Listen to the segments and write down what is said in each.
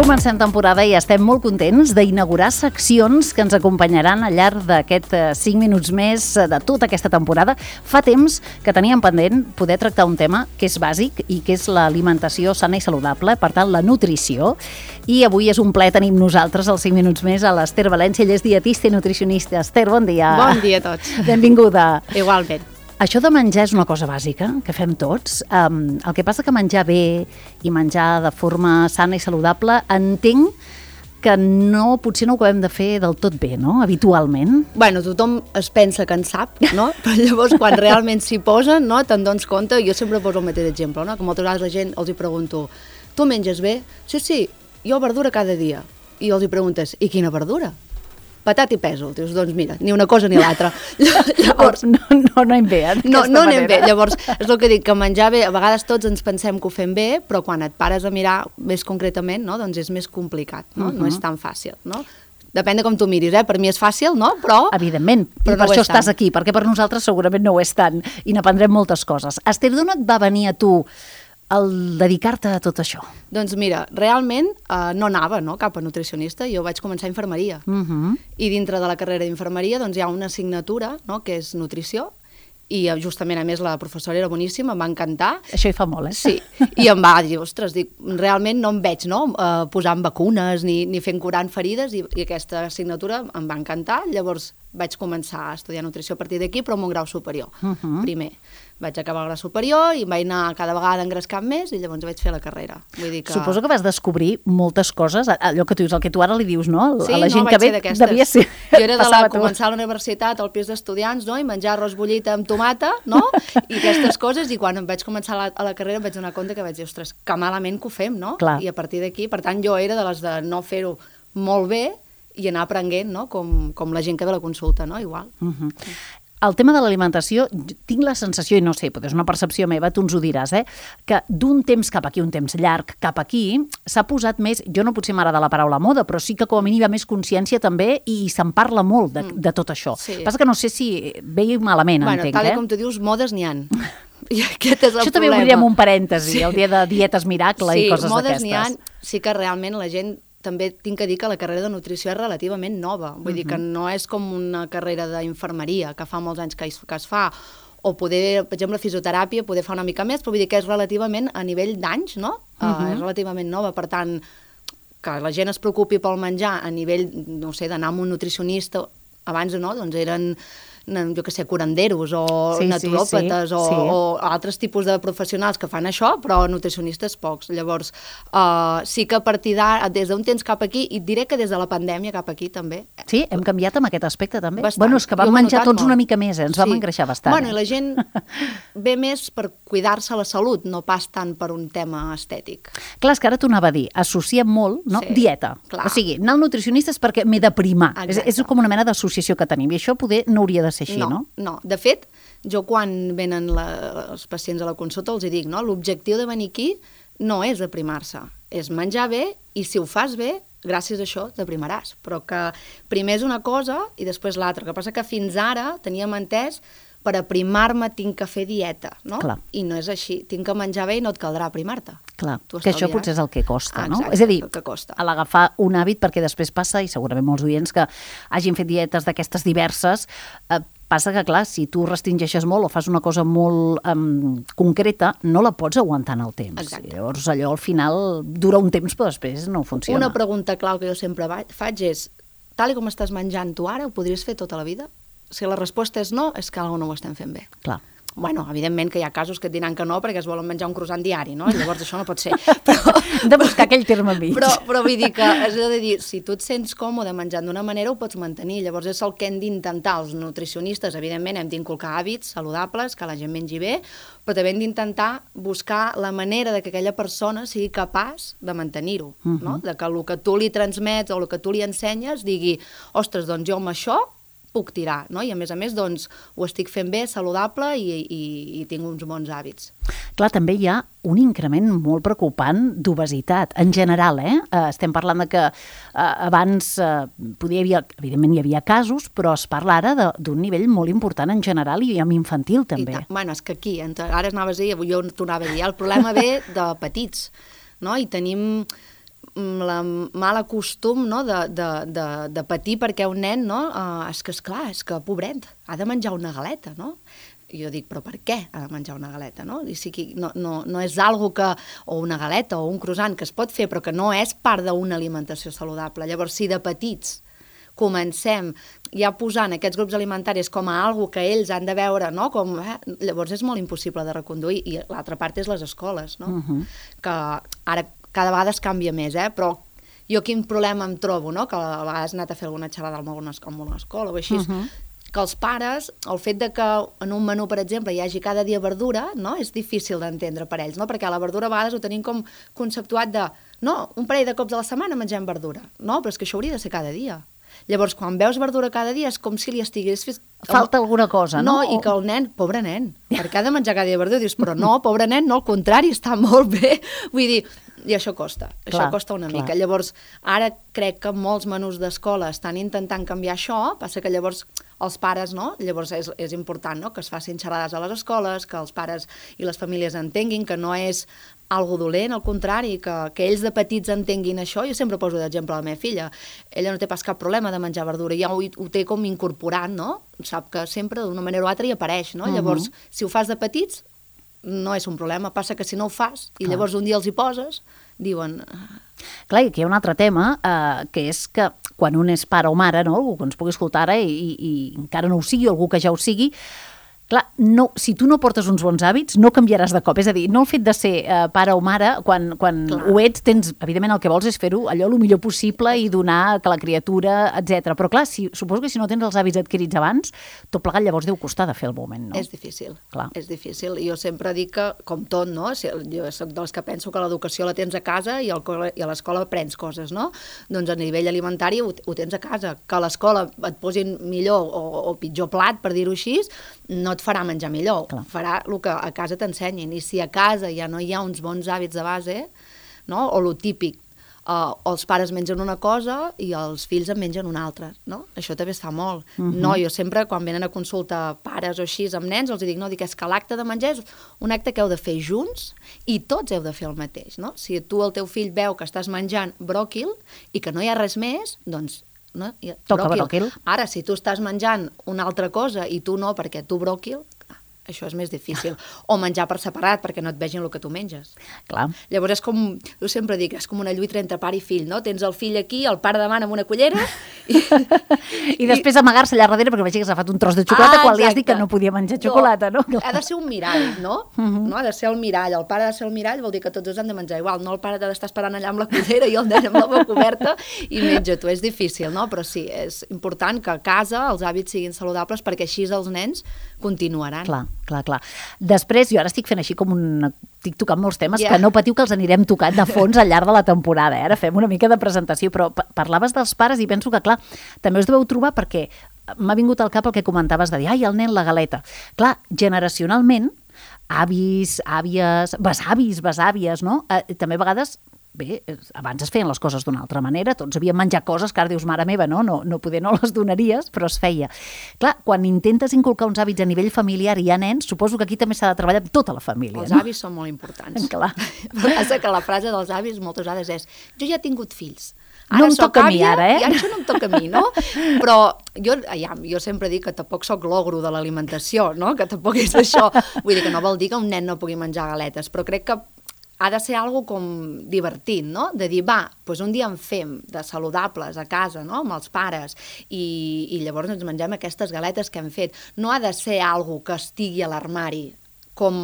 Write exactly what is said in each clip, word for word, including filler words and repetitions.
Comencem temporada i estem molt contents d'inaugurar seccions que ens acompanyaran al llarg d'aquest cinc minuts més de tota aquesta temporada. Fa temps que teníem pendent poder tractar un tema que és bàsic i que és l'alimentació sana i saludable, per tant, la nutrició. I avui és un plaer, tenim nosaltres als cinc minuts més a l'Ester València, ella és dietista i nutricionista. Ester, bon dia. Bon dia a tots. Benvinguda. Igualment. Això de menjar és una cosa bàsica, que fem tots. Um, el que passa que menjar bé i menjar de forma sana i saludable, entenc que no, potser no ho acabem de fer del tot bé, no?, habitualment. Bueno, tothom es pensa que en sap, no? Però llavors, quan realment s'hi posen, no, te'n dones compte. Jo sempre poso el mateix exemple, no? Que moltes vegades la gent els hi pregunto, tu menges bé? Sí, sí, jo verdura cada dia. I els hi preguntes, i quina verdura? Patat i pèsol. Dius, doncs mira, ni una cosa ni l'altra. Llavors, no, no anem bé, eh, no, no anem bé. Llavors, és el que dic, que menjar bé, a vegades tots ens pensem que ho fem bé, però quan et pares a mirar més concretament, no, doncs és més complicat, no? Uh -huh. No és tan fàcil, no? Depèn de com tu miris, eh? Per mi és fàcil, no? Però... Evidentment, però i per no això estàs aquí, perquè per nosaltres segurament no ho és tant, i n'aprendrem moltes coses. Ester, d'on et va venir a tu el dedicar-te a tot això? Doncs mira, realment eh, no anava, no, cap a nutricionista, jo vaig començar a infermeria. Uh -huh. I dintre de la carrera d'infermeria doncs, hi ha una assignatura, no, que és nutrició, i justament, a més, la professora era boníssima, em va encantar. Això hi fa molt, eh? Sí, i em va dir, ostres, dic, realment no em veig, no?, eh, posant vacunes ni, ni fent curant ferides, i, i aquesta assignatura em va encantar. Llavors vaig començar a estudiar nutrició a partir d'aquí, però amb un grau superior, uh -huh. primer. Vaig acabar el grau superior i em vaig anar cada vegada engrescant més i llavors vaig fer la carrera. Vull dir que... Suposo que vas descobrir moltes coses, allò que tu dius, el que tu ara li dius, no? Sí, a la gent no, que ve, devia ser... Jo era de la, començar a la universitat, al pis d'estudiants, no?, i menjar arròs bullit amb tomata, no?, i aquestes coses, i quan em vaig començar a la, a la carrera em vaig donar compte que vaig dir, ostres, que malament que ho fem, no? Clar. I a partir d'aquí, per tant, jo era de les de no fer-ho molt bé i anar aprenent, no?, com, com la gent que ve a la consulta, no?, igual. Uh -huh. El tema de l'alimentació, tinc la sensació, i no sé, potser és una percepció meva, tu ens ho diràs, eh, que d'un temps cap aquí, un temps llarg cap aquí, s'ha posat més, jo no potser m'agrada la paraula moda, però sí que com a mínim hi ha més consciència també i se'n parla molt de, de tot això. Sí. Passa que no sé si bé i malament, bueno, entenc, tal eh? com tu dius, modes n'hi han. I aquest és el això problema. també ho diríem un parèntesi, sí. El dia de dietes miracle sí, i coses d'aquestes. Sí, modes n'hi ha, sí que realment la gent... També tinc que dir que la carrera de nutrició és relativament nova. Vull uh -huh. dir que no és com una carrera d'infermeria, que fa molts anys que es, que es fa, o poder, per exemple, fisioteràpia, poder fa una mica més, però vull dir que és relativament, a nivell d'anys, no? Uh -huh. uh, és relativament nova, per tant, que la gent es preocupi pel menjar a nivell, no sé, d'anar amb un nutricionista, abans no, doncs eren... jo que sé, curanderos o sí, naturòpates sí, sí, o, sí. o altres tipus de professionals que fan això, però nutricionistes pocs. Llavors, uh, sí que a partir d'ara, des d'un temps cap aquí, i et diré que des de la pandèmia cap aquí també. Sí, hem canviat amb aquest aspecte també. Bastant. Bueno, és que vam menjar tots molt. Una mica més, eh? Ens sí. vam engreixar bastant. Bueno, eh? i la gent ve més per cuidar-se la salut, no pas tant per un tema estètic. Clar, és que ara t'ho anava a dir, associem molt, no? Sí, dieta. Clar. O sigui, anar al nutricionista és perquè m'he de primar. És, és com una mena d'associació que tenim, i això poder no hauria de ser així, no? No, no. De fet, jo quan venen la, els pacients a la consulta els hi dic, no? L'objectiu de venir aquí no és aprimar-se, és menjar bé, i si ho fas bé, gràcies a això t'aprimaràs. Però que primer és una cosa i després l'altra. El que passa que fins ara teníem entès per aprimar-me tinc que fer dieta, no? Clar. I no és així. Tinc que menjar bé i no et caldrà aprimar-te. Clar, que això potser és el que costa, ah, no? Exacte, és a dir, el que costa. A l'agafar un hàbit, perquè després passa, i segurament molts oients que hagin fet dietes d'aquestes diverses, eh, passa que, clar, si tu restringeixes molt o fas una cosa molt um, concreta, no la pots aguantar en el temps. Exacte. Llavors, allò al final dura un temps, però després no funciona. Una pregunta clau que jo sempre faig és, tal com estàs menjant tu ara, ho podries fer tota la vida? Si la resposta és no, és que alguna no ho estem fent bé. Clar. Bueno, evidentment que hi ha casos que et diran que no perquè es volen menjar un croissant diari, no? I llavors això no pot ser. Però, hem de buscar aquell terme mig. Però, però vull dir que, és a dir, si tu et sents còmode menjant d'una manera, ho pots mantenir. Llavors és el que hem d'intentar els nutricionistes. Evidentment hem d'inculcar hàbits saludables, que la gent mengi bé, però també hem d'intentar buscar la manera de que aquella persona sigui capaç de mantenir-ho, uh-huh. no? De que el que tu li transmets o el que tu li ensenyes digui, ostres, doncs jo amb això puc tirar, no? I a més a més, doncs, ho estic fent bé, saludable i, i, i tinc uns bons hàbits. Clar, també hi ha un increment molt preocupant d'obesitat, en general, eh? Estem parlant de que eh, abans eh, podia haver, evidentment hi havia casos, però es parla ara d'un nivell molt important en general i amb infantil també. Bueno, és que aquí, ara anaves a dir, jo t'ho anava a dir, el problema ve de petits, no? I tenim la mala costum, no? de, de, de, de patir perquè un nen, no? Uh, és que, esclar, és que, pobret, ha de menjar una galeta, no? I jo dic, però per què ha de menjar una galeta, no? I sí que no, no, no és algo que, o una galeta o un croissant que es pot fer, però que no és part d'una alimentació saludable. Llavors, si de petits comencem ja posant aquests grups alimentaris com a algo que ells han de veure, no? Com, eh? Llavors és molt impossible de reconduir. I l'altra part és les escoles, no? Uh-huh. Que ara cada vegada es canvia més, eh? Però jo quin problema em trobo, no? Que a vegades he anat a fer alguna xerrada en alguna escola o així, uh-huh. que els pares, el fet de que en un menú, per exemple, hi hagi cada dia verdura, no? És difícil d'entendre per ells, no? Perquè la verdura a vegades ho tenim com conceptuat de, no, un parell de cops a la setmana mengem verdura. No, però és que això hauria de ser cada dia. Llavors, quan veus verdura cada dia, és com si li estigués... Falta alguna cosa, no? No, i que el nen, pobre nen, perquè ha de menjar cada dia verdura, dius, però no, pobre nen, no, al contrari, està molt bé. Vull dir, i això costa, clar, això costa una clar. mica. Llavors, ara crec que molts menús d'escola estan intentant canviar això, passa que llavors els pares, no? Llavors és, és important, no? Que es facin xerrades a les escoles, que els pares i les famílies entenguin que no és algo dolent, al contrari, que, que ells de petits entenguin això. Jo sempre poso d'exemple a la meva filla. Ella no té pas cap problema de menjar verdura, ja ho, ho té com incorporat, no? Sap que sempre d'una manera o altra hi apareix, no? Uh-huh. Llavors, si ho fas de petits, no és un problema. Passa que si no ho fas i clar. Llavors un dia els hi poses, diuen... Clar, i aquí hi ha un altre tema, eh, que és que quan un és pare o mare, no? Algú que ens pugui escoltar ara i, i, i encara no ho sigui, algú que ja ho sigui, clar, no, si tu no portes uns bons hàbits, no canviaràs de cop. És a dir, no el fet de ser eh, pare o mare, quan, quan ho ets, tens, evidentment, el que vols és fer-ho allò el millor possible i donar que la criatura, etcètera. Però clar, si, suposo que si no tens els hàbits adquirits abans, tot plegat llavors deu costar de fer el moment, no? És difícil, clar. És difícil. Jo sempre dic que, com tot, no? Jo soc dels que penso que l'educació la tens a casa i, al, i a l'escola aprens coses, no? Doncs a nivell alimentari ho, ho tens a casa. Que a l'escola et posin millor o, o pitjor plat, per dir-ho així, no et farà menjar millor, clar. Farà el que a casa t'ensenyin. I si a casa ja no hi ha uns bons hàbits de base, no? O lo típic, uh, els pares mengen una cosa i els fills en mengen una altra, no? Això també es fa molt. Uh-huh. No, jo sempre, quan venen a consulta pares o així amb nens, els dic, no, dic, és que l'acte de menjar és un acte que heu de fer junts i tots heu de fer el mateix, no? Si tu, el teu fill, veu que estàs menjant bròquil i que no hi ha res més, doncs no? Toca bròquil. Ara, si tu estàs menjant una altra cosa i tu no, perquè tu bròquil, això és més difícil. O menjar per separat, perquè no et vegin el que tu menges. Clar. Llavors és com, jo sempre dic, és com una lluita entre pare i fill, no? Tens el fill aquí, el pare davant amb una cullera... I, I després amagar-se allà darrere perquè vegi que s'ha fet un tros de xocolata ah, quan li has dit que no podia menjar xocolata, no? Ha de ser un mirall, no? Uh-huh. No? Ha de ser el mirall. El pare ha de ser el mirall, vol dir que tots dos han de menjar igual. No el pare ha d'estar esperant allà amb la cullera i el nen amb la boca oberta i menja tu. És difícil, no? Però sí, és important que a casa els hàbits siguin saludables perquè així els nens continuaran. Clar. Clar, clar. Després, jo ara estic fent així com un... Estic tocant molts temes yeah. que no patiu que els anirem tocant de fons al llarg de la temporada. Eh? Ara fem una mica de presentació, però parlaves dels pares i penso que, clar, també us deveu trobar perquè m'ha vingut al cap el que comentaves de dir, ai, el nen, la galeta. Clar, generacionalment, avis, àvies, besavis, besàvies, no? Eh, també a vegades... Bé, abans es feien les coses d'una altra manera, tots havíem menjat coses que ara dius, mare meva, no, no, no poder no les donaries, però es feia. Clar, quan intentes inculcar uns hàbits a nivell familiar i hi ha nens, suposo que aquí també s'ha de treballar amb tota la família. Els no? avis són molt importants. Clar. Però passa que la frase dels avis moltes vegades és, jo ja he tingut fills. Ara no em toca a mi, ara, eh? I ara això no em toca a mi, no? Però jo, ja, jo sempre dic que tampoc sóc l'ogro de l'alimentació, no? Que tampoc és això. Vull dir que no vol dir que un nen no pugui menjar galetes, però crec que ha de ser algo com divertit, no? De dir, va, doncs un dia en fem de saludables a casa, no? Amb els pares, i, i llavors ens mengem aquestes galetes que hem fet. No ha de ser algo que estigui a l'armari, com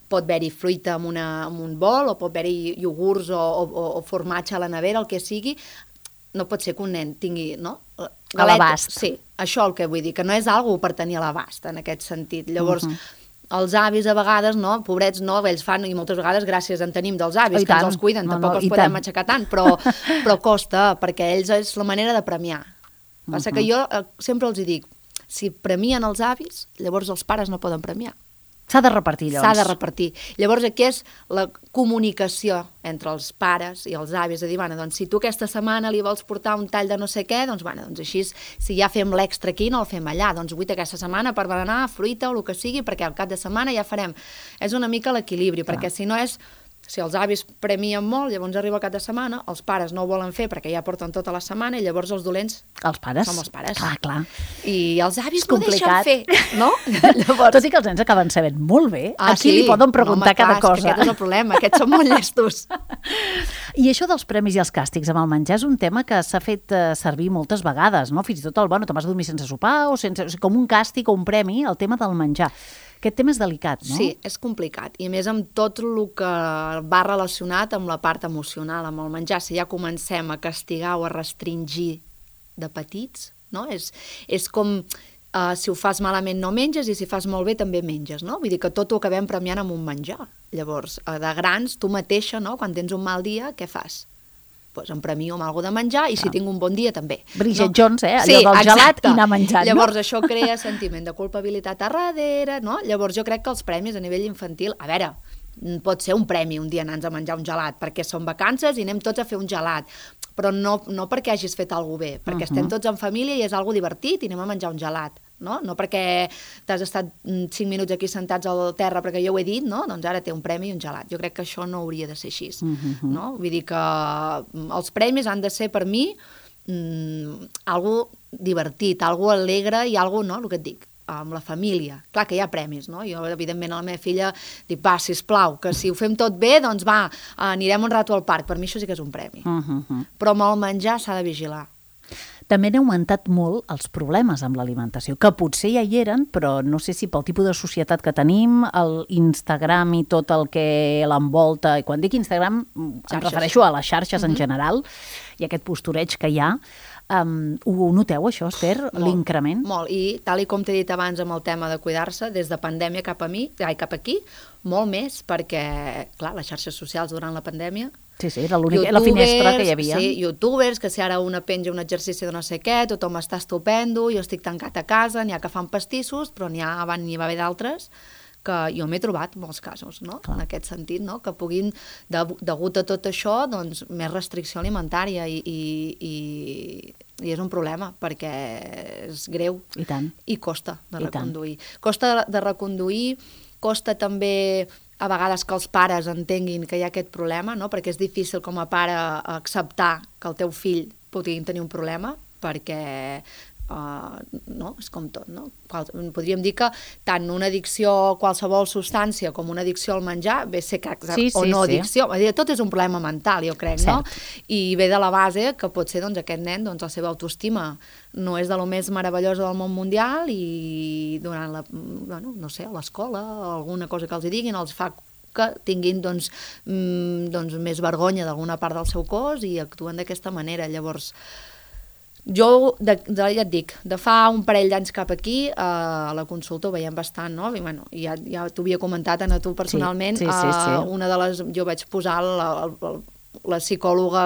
pot haver-hi fruita en, una, en un bol, o pot haver-hi iogurts o, o, o formatge a la nevera, el que sigui. No pot ser que un nen tingui, no? Galetes. A l'abast. Sí, això el que vull dir, que no és algo per tenir a l'abast, en aquest sentit. Llavors... Uh-huh. Els avis a vegades, no, pobrets, no, ells fan, i moltes vegades gràcies en tenim dels avis, oh, que ens els cuiden, no, tampoc no, els podem tant. Aixecar tant, però, però costa, perquè ells és la manera de premiar. Passa uh-huh. que jo eh, sempre els dic, si premien els avis, llavors els pares no poden premiar. S'ha de repartir, llavors. S'ha de repartir. Llavors aquí és la comunicació entre els pares i els avis, de dir, bueno, doncs si tu aquesta setmana li vols portar un tall de no sé què, doncs, bueno, doncs així, si ja fem l'extra aquí, no el fem allà, doncs vuit aquesta setmana per berenar, fruita o el que sigui, perquè al cap de setmana ja farem. És una mica l'equilibri, perquè si no és Si els avis premien molt, llavors arriba el cap de setmana, els pares no ho volen fer perquè ja porten tota la setmana i llavors els dolents els pares. som els pares. Clar, clar. I els avis no deixen fer, no? Llavors... Tot i que els nens acaben sabent molt bé, ah, aquí sí? li poden preguntar no, home, cada clar, cosa. És aquest és el problema, aquests són molt llestos. I això dels premis i els càstigs amb el menjar és un tema que s'ha fet eh, servir moltes vegades, no? Fins i tot el, bueno, te vas a dormir sense sopar o sense, o sigui, com un càstig o un premi, el tema del menjar. Aquest tema és delicat, no? Sí, és complicat. I a més amb tot el que va relacionat amb la part emocional, amb el menjar. Si ja comencem a castigar o a restringir de petits, no? És, és com uh, si ho fas malament no menges i si fas molt bé també menges, no? Vull dir que tot ho acabem premiant amb un menjar. Llavors, uh, de grans, tu mateixa, no? Quan tens un mal dia, què fas? Pues em premio amb alguna de menjar i si ah. tinc un bon dia també. Bridget no? Jones, eh? Allò sí, del exacte. gelat i anar menjant. Llavors no? això crea sentiment de culpabilitat a darrere, no? Llavors jo crec que els premis a nivell infantil, a veure, pot ser un premi un dia anar-nos a menjar un gelat, perquè són vacances i anem tots a fer un gelat, però no, no perquè hagis fet alguna cosa bé, perquè uh -huh. estem tots en família i és algo divertit i anem a menjar un gelat. No? No perquè t'has estat cinc minuts aquí sentats al terra perquè jo ho he dit, no? Doncs ara té un premi i un gelat. Jo crec que això no hauria de ser així. Uh-huh. No? Vull dir que els premis han de ser per mi mm, algo divertit, algo alegre i algo, no? El que et dic, amb la família. Clar que hi ha premis, no? Jo, evidentment, a la meva filla dic, va, sisplau, que si ho fem tot bé, doncs va, anirem un rato al parc. Per mi això sí que és un premi. Uh-huh. Però amb el menjar s'ha de vigilar. També han augmentat molt els problemes amb l'alimentació, que potser ja hi eren, però no sé si pel tipus de societat que tenim, el Instagram i tot el que l'envolta, i quan dic Instagram xarxes. Em refereixo a les xarxes uh-huh. en general, i aquest postureig que hi ha. Um, ho noteu, això, Esther, l'increment? Molt, i tal i com t'he dit abans amb el tema de cuidar-se, des de pandèmia cap a mi, ai, cap aquí, molt més, perquè, clar, les xarxes socials durant la pandèmia... Sí, sí, era l'única, la finestra que hi havia. Sí, youtubers, que si ara una penja un exercici de no sé què, tothom està estupendo, jo estic tancat a casa, n'hi ha que fan pastissos, però n'hi ha, n'hi va haver d'altres que jo m'he trobat molts casos, no? En aquest sentit, no? Que puguin, de, degut a tot això, doncs, més restricció alimentària i, i, i, i és un problema, perquè és greu. I tant. I costa de I reconduir. Tant. Costa de reconduir, costa també a vegades que els pares entenguin que hi ha aquest problema, no? Perquè és difícil com a pare acceptar que el teu fill pugui tenir un problema, perquè uh, no? És com tot, no? Podríem dir que tant una addicció a qualsevol substància com una addicció al menjar ve ser que, sí, o sí, no sí. addicció, tot és un problema mental, jo crec, Cert. no? I ve de la base que pot ser doncs, aquest nen, doncs, la seva autoestima no és de lo més meravellosa del món mundial i durant la, bueno, no sé, a l'escola, alguna cosa que els hi diguin, els fa que tinguin doncs, mm, doncs més vergonya d'alguna part del seu cos i actuen d'aquesta manera. Llavors, jo, de, de, ja et dic, de fa un parell d'anys cap aquí, eh, a la consulta ho veiem bastant, no? I, bueno, ja ja t'ho havia comentat a tu personalment, sí, sí, sí, sí. Eh, una de les, jo vaig posar la, la, la psicòloga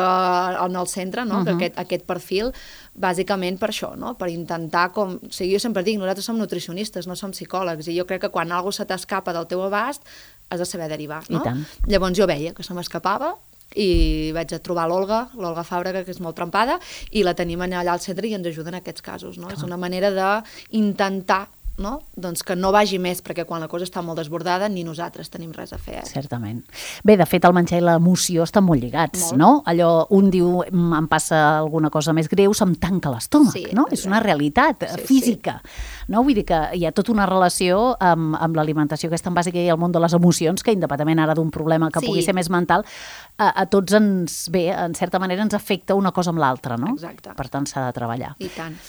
en el centre, no? Uh-huh. Que aquest, aquest perfil, bàsicament per això, no? Per intentar, com, o sigui, jo sempre dic, nosaltres som nutricionistes, no som psicòlegs, i jo crec que quan alguna cosa se t'escapa del teu abast, has de saber derivar, no? Llavors jo veia que se m'escapava i vaig a trobar l'Olga, l'Olga Fàbrega, que és molt trempada, i la tenim allà al centre i ens ajuda en aquests casos, no? És una manera d'intentar, no? Doncs que no vagi més, perquè quan la cosa està molt desbordada ni nosaltres tenim res a fer. Eh? Certament. Bé, de fet, el menjar i l'emoció estan molt lligats, molt. No? Allò, un diu, em passa alguna cosa més greu, se'm tanca l'estómac, sí, no? És una realitat sí, física. Sí. No? Vull dir que hi ha tota una relació amb, amb l'alimentació aquesta en bàsica i el món de les emocions, que independentment ara d'un problema que sí. pugui ser més mental, a, a tots ens, bé, en certa manera ens afecta una cosa amb l'altra, no? Exacte. Per tant, s'ha de treballar. I tant.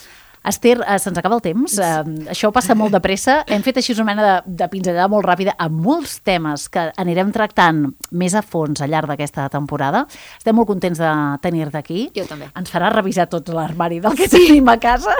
Esther, eh, se'ns acaba el temps, eh, això passa molt de pressa, hem fet així una mena de, de pinzellada molt ràpida amb molts temes que anirem tractant més a fons al llarg d'aquesta temporada. Estem molt contents de tenir-te aquí. Jo també. Ens farà revisar tot l'armari del que sí. tenim a casa.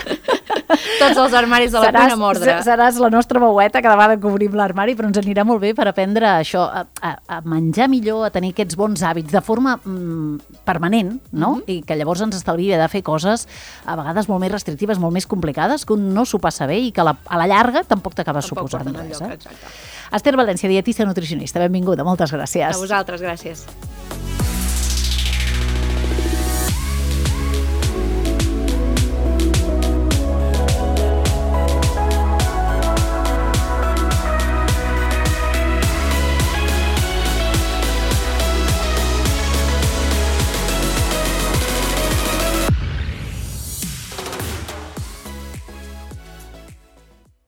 Tots els armaris de la cuina amb ordre. Seràs la nostra veueta cada vegada que obrim l'armari, però ens anirà molt bé per aprendre això, a, a, a menjar millor, a tenir aquests bons hàbits de forma mm, permanent, no? Mm-hmm. I que llavors ens estalvia de fer coses a vegades molt més restrictives, molt més complicades, que un no s'ho passa bé i que a la, a la llarga tampoc t'acabes suposant res. Lloc, eh? Esther València, dietista nutricionista, benvinguda, moltes gràcies. A vosaltres, gràcies.